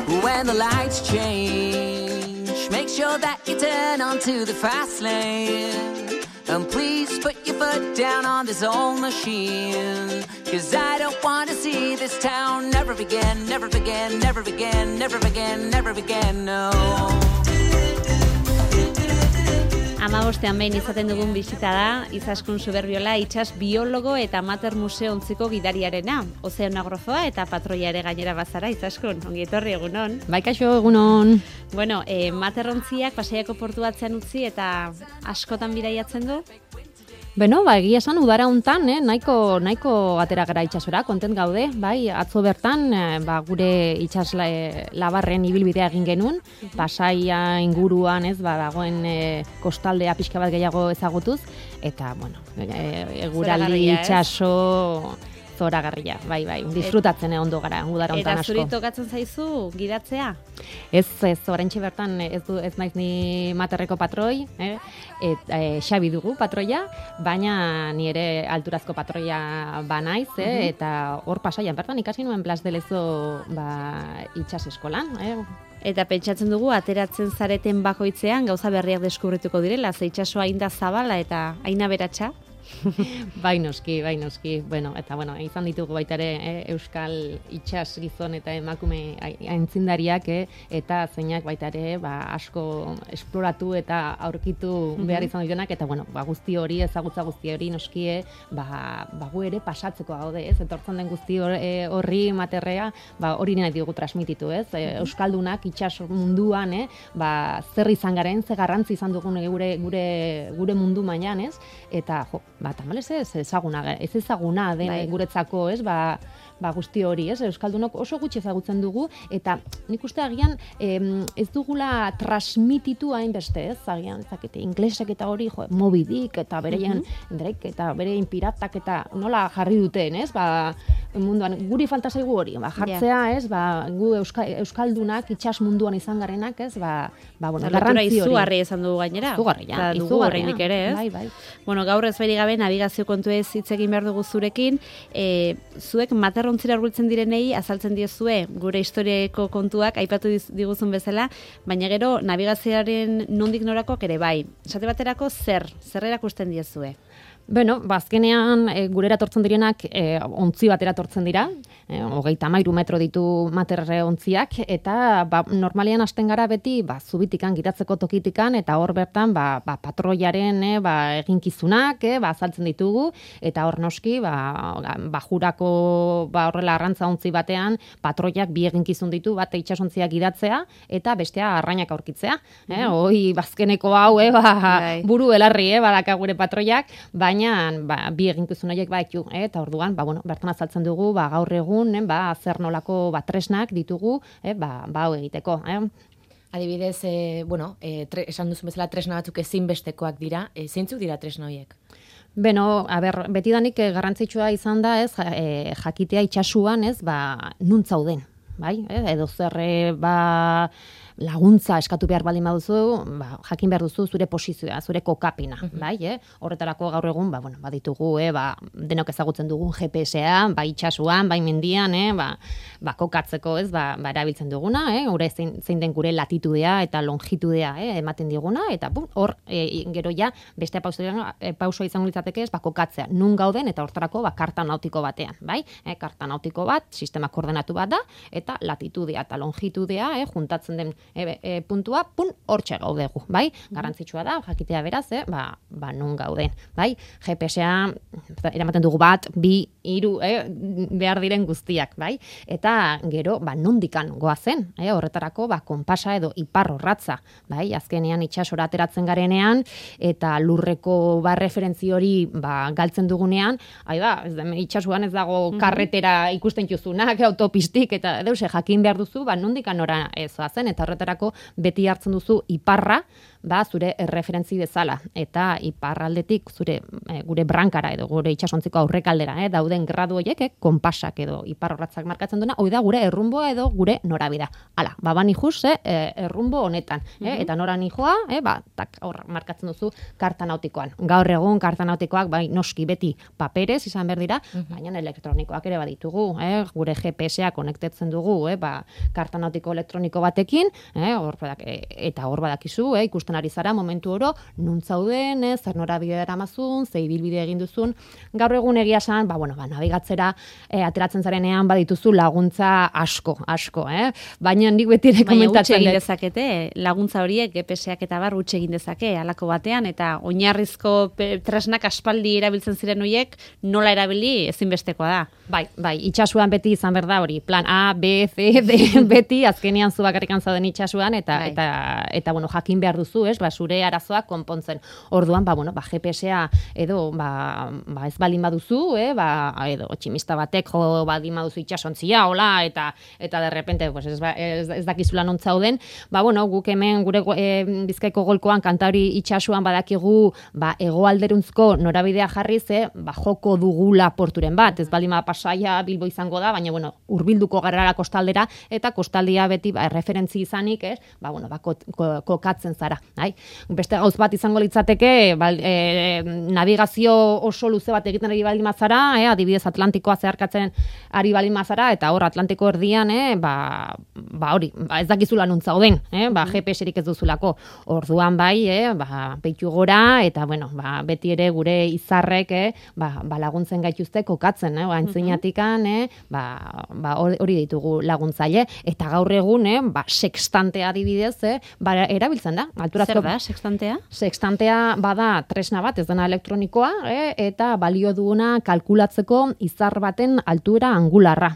when the lights change, make sure that you turn onto the fast lane. And please put your foot down on this old machine, 'cause I don't want to see this town never again, never again, never again, never again, never again, no. Amabostean behin izaten dugun bisita da Izaskun Suberbiola itsas biologo eta amateur museo ontziko gidariarena. Ozeanografoa eta patroia ere gainera bazara, Izaskun. Ongi etorri, egunon. Bai, kaixo, egunon. Bueno, materontziak Pasaiako portu atzean utzi eta askotan bidaiatzen du? Beno, egia esan udara hontan, nahiko atera gara itsasora, kontent gaude, bai, atzo bertan, gure itsas labarren ibilbidea egin genuen, Pasaia inguruan, dagoen kostaldea pixka bat gehiago ezagutuz, eta, bueno, eguraldi itsaso zoragarria, bai, disfrutatzen ondo gara, udara hontan asko. Eta zuri tokatzen zaizu gidatzea? Ez, oraintxe bertan ez naiz ni materreko patroi, Xabi dugu patroia, baina ni ere alturazko patroia banaiz, eta hor Pasaian bertan ikasi nuen Blas de Lezo itsas eskolan, Eta pentsatzen dugu, ateratzen zareten bakoitzean gauza berriak deskubrituko direla, ze itsasoa hain da zabala eta hain aberatsa. Bai noski. Eta izan ditugu baita ere euskal itsas gizon eta emakume aintzindariak eta zeinak baita ere asko esploratu eta aurkitu behar izan dituenak eta guzti hori, ezagutza guzti hori noski gu ere pasatzeko gaude, etortzen den guzti horri materrea, hori nahi diogu transmititu, euskaldunak itsas munduan, zer izan garen, ze garrantzi izan dugun gure mundu mailan, eta tamalez ez ezaguna den guretzako, guzti hori, euskaldunok oso gutxi ezagutzen dugu, eta nik uste agian ez dugula transmititu hainbeste, agian, inglesek eta hori, Moby Dick eta bereien Drake eta berein piratak eta nola jarri duten, munduan, guri falta zaigu hori, jartzea, gu euskaldunak itsas munduan izan garenak, garrantzi hori. Izugarri esan dugu gainera. Izugarri ere, Bai. Bueno, gaur ez beri gabe navigazio kontuez hitz egin behar dugu zurekin, zuek materrontzira hurbiltzen direnei azaltzen diozue gure historiako kontuak aipatu diguzun bezala, baina gero navigazioaren nondik norakoak ere bai. Esate baterako zer erakusten diezue? Beno, azkenean gurera tortzen direnak ontzi batera tortzen dira, 33 metro ditu materre ontziak, eta normalean hasten gara beti zubitikan, gidatzeko tokitikan, eta hor bertan patroiaren eginkizunak azaltzen ditugu, eta hor noski bajurako horrela arrantza ontzi batean patroiak bi eginkizun ditu, bat itsasontziak gidatzea, eta bestea arrainak aurkitzea. Hoi bazkeneko hau, buru belarri badaka gure patroiak, baina bi eginkizun horiek eta orduan, bertan azaltzen dugu, gaur egun, zer nolako tresnak ditugu, hau egiteko. Adibidez, esan duzun bezala tresna batzuk ezinbestekoak dira, zeintzuk dira tresna horiek? Beno, betidanik garrantzitsua izan da, jakitea itsasuan, nun zauden, bai? Edo zer, laguntza eskatu behar baldin baduzu, jakin behar duzu zure posizioa, zure kokapena, bai? Horretarako gaur egun, baditugu, denok ezagutzen dugun GPS-a, bai itsasuan, bai mendian, kokatzeko, erabiltzen duguna, gure zein den gure latitudea eta longitudea ematen diguna, eta hor, gero ja, beste pausoa izango litzateke kokatzea, nun gauden, eta horretarako karta nautiko batean, bai? Karta nautiko bat, sistema koordenatu bat da, eta latitudea eta longitudea, juntatzen den puntua, hortxe gaudegu, bai? Garrantzitsua da, jakitea beraz, nun gauden, bai? GPS-a, eramaten dugu 1, 2, 3, behar diren guztiak, bai? Eta gero, nondikan goazen, horretarako, konpasa edo iparrorratza, bai? Azkenean itsasora ateratzen garenean, eta lurreko referentzi hori galtzen dugunean, itsasuan ez dago karretera ikusten juzunak, autopistik, eta deuse jakin behar duzu, nondikan nora zoazen, eta horretarako beti hartzen duzu iparra, zure referentzi bezala, eta iparraldetik gure brankara edo gure itsasontziko aurrekaldera, dauden gradu horiek, konpasak edo iparrorratzak markatzen duena, hori da gure errumboa edo gure norabidea. Hala, bani juz, errumbo honetan, eta nora nijoa, hor markatzen duzu karta nautikoan. Gaur egun karta nautikoak, noski beti paperez izan behar dira, baina elektronikoak ere baditugu, gure GPS-a konektetzen dugu dugu, karta nautiko elektroniko batekin, eta hor badakizu, ikusten ari zara momentu oro, nun zauden, zer norabide eramazun, ze ibilbide egin duzun. Gaur egun egia esan, nabigatzera ateratzen zarenean badituzu laguntza asko, baina nik beti ere komentatzen egin dezakete, laguntza horiek GPS-ak eta bar utxe egin dezake halako batean, eta oinarrizko tresnak aspaldi erabiltzen ziren horiek nola erabili ezinbestekoa da. Bai, itxasuan beti izan behar da hori, plan A, B, C, D, beti azkenean zu bakarrikan zauden itxasuan, eta bueno, jakin behar duzu, zure arazoak konpontzen. Orduan, GPS-a edo ez balin baduzu, edo tximista batek jo balin baduzu itxasontzia, hola, eta de repente ez dakizula non zauden, guk hemen gure Bizkaiko golkoan Kantauri itxasuan badakigu hegoalderuntzko norabidea jarriz, joko dugula porturen bat, ez balin Pasaia Bilbo izango da, baina hurbilduko garrara kostaldera, eta kostaldia beti referentzi izanik, kokatzen zara. Beste gauz bat izango litzateke, navigazio oso luze bat egiten ari baldin mazara, adibidez Atlantikoa zeharkatzen ari baldin mazara, eta hor Atlantiko erdian, hori, ez dakizula nun zauden, GPS-erik ez duzulako. Orduan beitu gora, eta beti ere gure izarrek laguntzen gaituzte kokatzen, aintzinatikan, hori ditugu laguntzaile, eta gaur egun, sextantea adibidez, erabiltzen da. Zer da, sextantea? Sextantea bada tresna bat, ez dena elektronikoa, eta balio duguna kalkulatzeko izar baten altura angularra.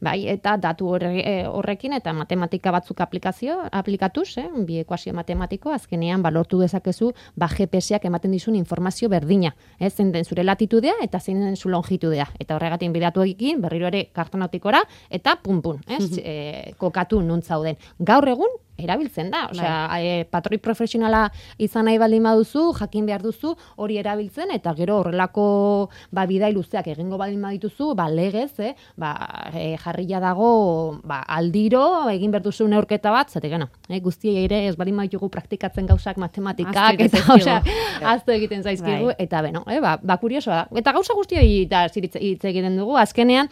Eta datu horrekin eta matematika batzuk aplikatuz, bi ekuazio matematiko, azkenean balortu dezakezu GPS-ak ematen dizun informazio berdina. Zein den zure latitudea eta zein den zu longitudea. Eta horregatik bidatu egin, berriro ere karta nautikora, eta pun, kokatu nun zauden. Gaur egun, erabiltzen da. Patroi profesionala izan nahi baldin baduzu, jakin behar duzu, hori erabiltzen, eta gero horrelako bidai luzeak egingo baldin badituzu, legez, jarria dago aldiro, egin behar duzu neurketa bat, zatek guztiei ere ez baldin baditugu praktikatzen gauzak matematikak, eta aztu egiten zaizkigu, eta kuriosoa da. Eta gauza guztioi hitz egiten dugu, azkenean,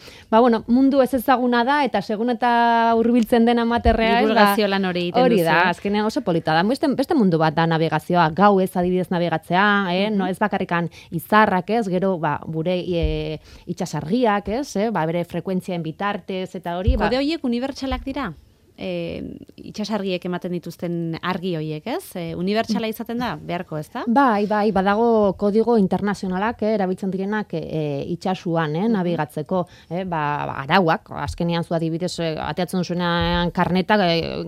mundu ez ezaguna da, eta segun eta hurbiltzen den amaterrea, divulgazio lan hori. Hori da, azkenean oso polita da. Beste mundu bat da navegazioa, gau ez adibidez navegatzea, no ez bakarrikan izarrak, gero gure itxasargiak, bere frekuentzien bitartez eta hori. Kode horiek unibertsalak dira? Itxasargiek ematen dituzten argi horiek, unibertsala izaten da, beharko, ez da? Bai, badago kodigo internazionalak, erabiltzen direnak itxasuan, nabigatzeko, arauak, azkenean zu adibidez, ateatzen zuenean karneta,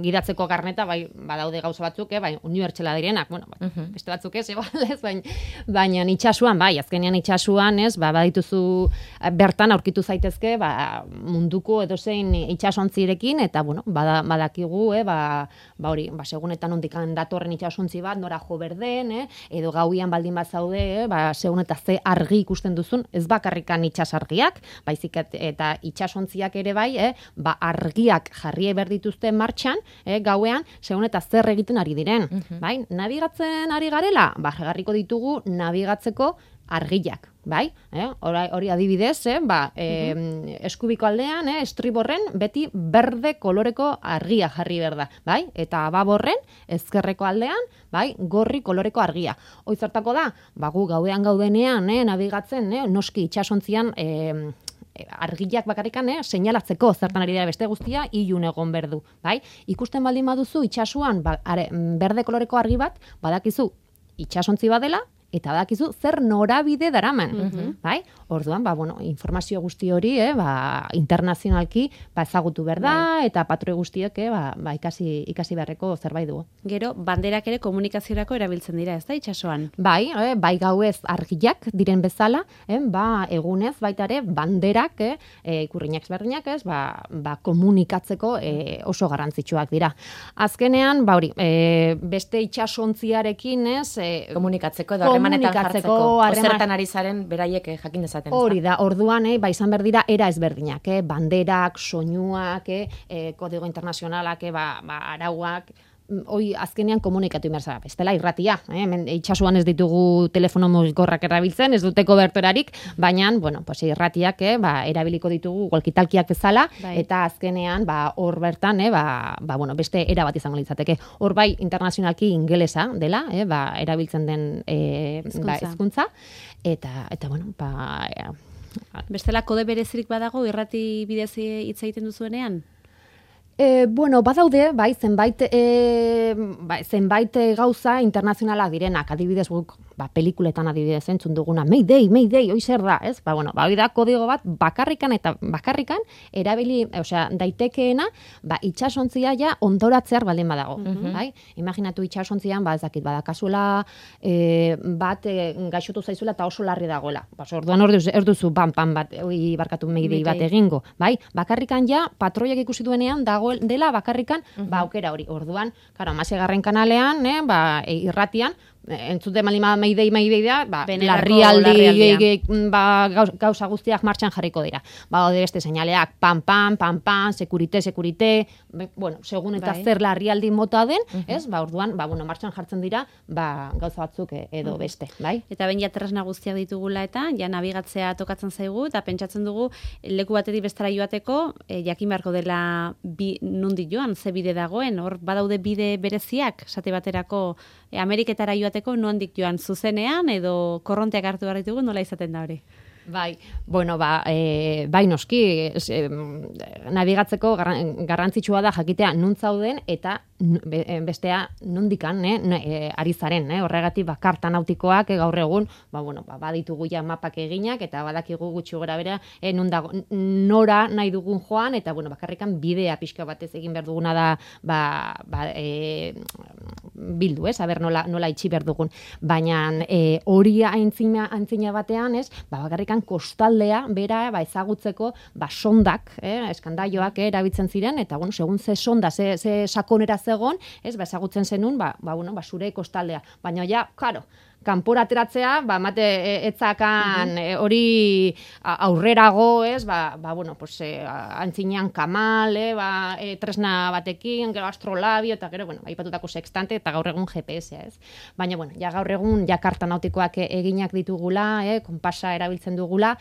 gidatzeko karneta, badaude gauza batzuk, unibertsala direnak, beste batzuk ez, baina itxasuan, azkenean itxasuan, badituzu bertan aurkitu zaitezke, munduko edozein itxasontzirekin, eta, badakigu, hori, segunetan ondikan datorren itxasontzi bat, nora jo berden, edo gauian baldin bat zaude, segun eta ze argi ikusten duzun, ez bakarrikan itxasargiak, baizik eta itxasontziak ere argiak jarri berdituzte martxan, gauean, segun eta zer egiten ari diren. Nabigatzen ari garela, jarriko ditugu nabigatzeko argiak, hori adibidez, eskubiko aldean, estriborren, beti berde koloreko argia jarri berda, eta baborren, ezkerreko aldean, gorri koloreko argia. Hoizertako da, gu gaudean gaudenean, nabigatzen, noski itxasontzian, argiak bakarrikan, seinalatzeko zertan ari dira beste guztia, ilun egon berdu. Ikusten baldin baduzu, itxasuan, berde koloreko argi bat, badakizu, itxasontzi badela, eta badakizu zer norabide daraman. Orduan, informazio guzti hori, internazionalki ezagutu behar da, eta patroi guztiek ikasi beharreko zerbait dugu. Gero, banderak ere komunikaziorako erabiltzen dira, ez da, itxasoan? Bai gauez argiak diren bezala, egunez baita ere banderak, ikurriñak ezberdinak, komunikatzeko oso garrantzitsuak dira. Azkenean, beste itxasontziarekin, komunikatzeko edo harremanetan jartzeko, zertan ari zaren beraiek jakin dezaten. Hori da, orduan, izan behar dira era ezberdinak, banderak, soinuak, kodigo internazionalak, arauak, hoi azkenean komunikatu inberza. Bestela irratia, hemen itxasuan ez ditugu telefono mugikorrak erabiltzen, ez dute kobertorarik, baina, bueno, pues irratiak erabiliko ditugu walkie-talkieak bezala, eta azkenean hor bertan, bueno, beste era bat izango litzateke. Hor bai internazionalki ingelesa dela, erabiltzen den hizkuntza, eta bueno, bestela kode berezirik badago irrati bidez hitz egiten duzuenean? Bueno, badaude, zenbait gauza internazionalak direnak, adibidez guk, pelikuletan adibidez entzun duguna, Mayday, hoi zer da, ez? Hoi da kodigo bat bakarrikan erabili, osea, daitekeena, itsasontzia ja ondoratzear baldin badago, bai? Imaginatu itsasontzian, ez dakit, badakazula bat gaixotu zaizula eta oso larri dagoela. Orduan hor duzu bat, barkatu Mayday bat egingo, bai? Bakarrikan ja, patroiak ikusi duenean dela bakarrikan, aukera hori. Orduan, karo, 16. kanalean, irratian, entzute malima Mayday da, larrialdi gauza guztiak martxan jarriko dira. Bade beste seinaleak, pam, sekurite, bueno, segun eta zer larrialdi mota den, ez? Orduan, bueno, martxan jartzen dira, gauza batzuk edo beste, bai? Eta ben ja tresna guztiak ditugula eta, ja nabigatzea tokatzen zaigu, eta pentsatzen dugu, leku batetik bestera joateko, jakin beharko dela nondik joan, ze bide dagoen, hor badaude bide bereziak, esate baterako Ameriketara joateko nondik joan zuzenean edo korronteak hartu behar ditugu, nola izaten da hori? Bai, bueno, bai noski, nabigatzeko garrantzitsua da jakitea non zauden eta bestea nondikan ari zaren, horregatik karta nautikoak gaur egun, baditugu ja mapak eginak eta badakigu gutxi gora bera nora nahi dugun joan eta bakarrikan bidea pixka batez egin behar duguna da bildu, aber nola itxi behar dugun, baina hori aintzina batean, bakarrikan kostaldea bera ezagutzeko sondak, eskandaioak erabiltzen ziren eta segun ze sonda, ze sakonera zegon, ezagutzen zenun zure kostaldea, baina ja, karo, kanpora ateratzea, mate etzakan hori aurrerago, antzinean kamal, tresna batekin, gero astrolabio, eta gero, aipatutako sextante, eta gaur egun GPS, ez? Baina, ja gaur egun, karta nautikoak eginak ditugula, konpasa erabiltzen dugula,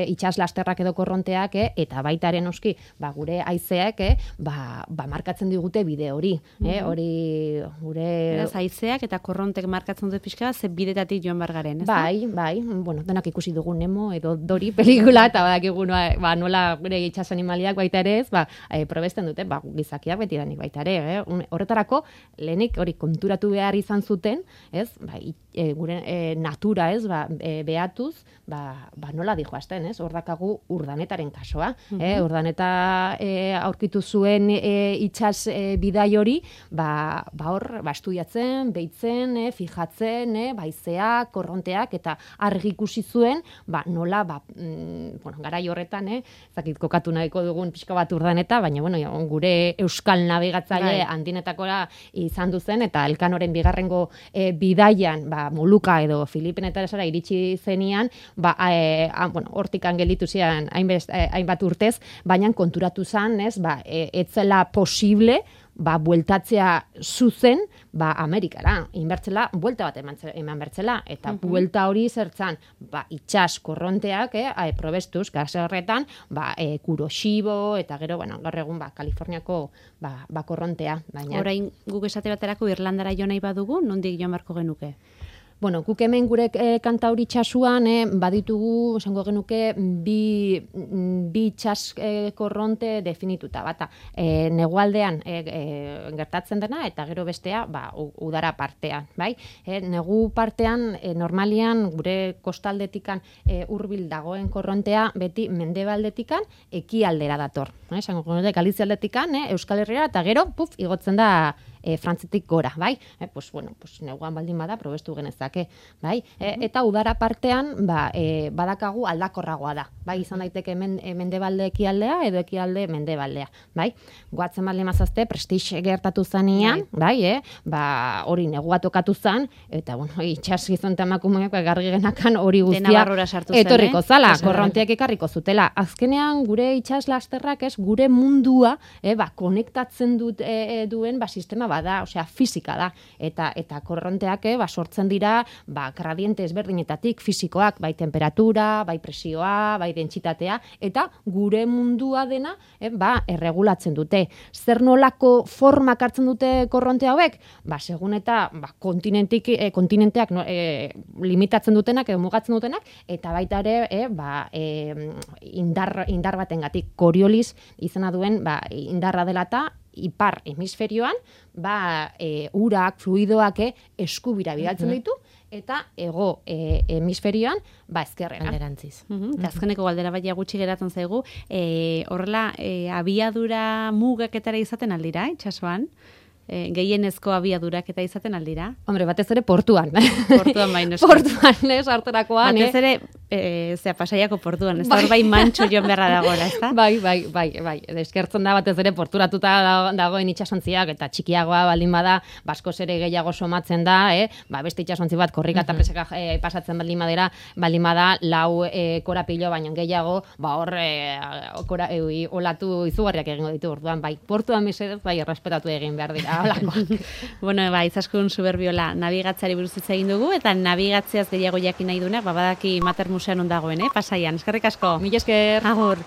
itxas lasterrak edo korronteak, eta baitaren oski, gure haizeak, markatzen digute bide hori, hori gure... Haizeak eta korronteak markatzen dut pixka, ze bidetatik joan bargaren, ez da? Bai, bueno, denak ikusi dugu Nemo edo Dori pelikula, eta badakigu nola gure itxas animaliak baita ere ez, probesten dute, gizakiak beti danik baita ere, horretarako, lehenik hori konturatu behar izan zuten, ez, gure natura, ez, behatuz, nola dijoazten, ez, hor dakagu urdanetaren kasoa, urdaneta aurkitu zuen itxas bidai hori, hor, estudiatzen, behitzen, fijatzen, baizeak, korronteak, eta argi ikusi zuen, nola, garai horretan, zakit kokatu nahiko dugun pixka bat urdaneta, baina, gure euskal nabigatzaile handinetakora izan duzen, eta Elkanoren bigarrengo bidaian, Moluka edo Filipenetara iritsi zenian, hortikan gelditu zian hainbat urtez, baina konturatu zen, etzela posible, bueltatzea zuzen, Amerikara, inbertzela, buelta bat eman bertzela, eta buelta hori zertzan, itxas korronteak, probestuz, gase horretan, Kuroshio, eta gero, gaur egun, Kaliforniako, korrontea. Orain, guk esate baterako Irlandara jo nahi badugu, nondik joan barko genuke? Bueno, guk hemen gure kantauri txasuan, baditugu, esango genuke, bi itxas korronte definituta. Bata, negualdean gertatzen dena, eta gero bestea, udara partean. Bai? Negu partean, normalian, gure kostaldetikan hurbil dagoen korrontea, beti mendebaldetikan ekialdera dator. Esango genuke, Galizialdetikan, Euskal Herriera, eta gero, igotzen da frantzitik gora, bai? Pues bueno, pues neguan baldin bada probestu genezake, bai? Eta udara partean, badakagu aldakorragoa da, bai? Izan daiteke mendebalde ekialdea edo ekialde mendebaldea, bai? Goatzen baldin mazazte, Prestige gertatu zanean, bai, hori negua tokatu zan, eta bueno, itxas gizon eta emakumeak gargi genakan hori guztia etorriko zala, korronteak ekarriko zutela. Azkenean gure itxas lasterrak gure mundua konektatzen duen sistema bada, osea fisika da, eta korronteak sortzen dira gradiente ezberdinetatik fisikoak, bai temperatura, bai presioa, bai dentsitatea, eta gure mundua dena erregulatzen dute. Zer nolako formak hartzen dute korronte hauek? Segun eta kontinenteak limitatzen dutenak edo mugatzen dutenak, eta baita ere indar batengatik Coriolis izena duen indarra dela eta ipar hemisferioan urak, fluidoak eskubira bidaltzen ditu, eta hego hemisferioan ezkerrera. Alderantziz. Eta azkeneko galdera baina gutxi geratzen zaigu, horrela abiadura mugaketara izaten aldira, itxasoan? Gehienezko abiadurak eta izaten aldira? Hombre, batez ere portuan. Portuan baino. Portuan, harterakoan. Batez ere, Pasaiako portuan, ez da hor bai mantxo joan beharra dagoela, ez da? Bai. Eskertzen da batez ere porturatuta dagoen itxasontziak, eta txikiagoa baldin bada, baskoz ere gehiago somatzen da, beste itxasontzi bat korrika eta presaka pasatzen baldin bada, 4 korapilo baino gehiago, hor olatu izugarriak egingo ditu orduan, bai, portuan mesedez, bai, errespetatu egin behar dira. Bueno, izaskun Suberbiola nabigatzari buruz hitz egin dugu, eta nabigatzeaz gehiago jakin nahi duenak, badaki Mater Museoan ondagoen, Pasaian. Eskerrik asko. Mila esker. Agur.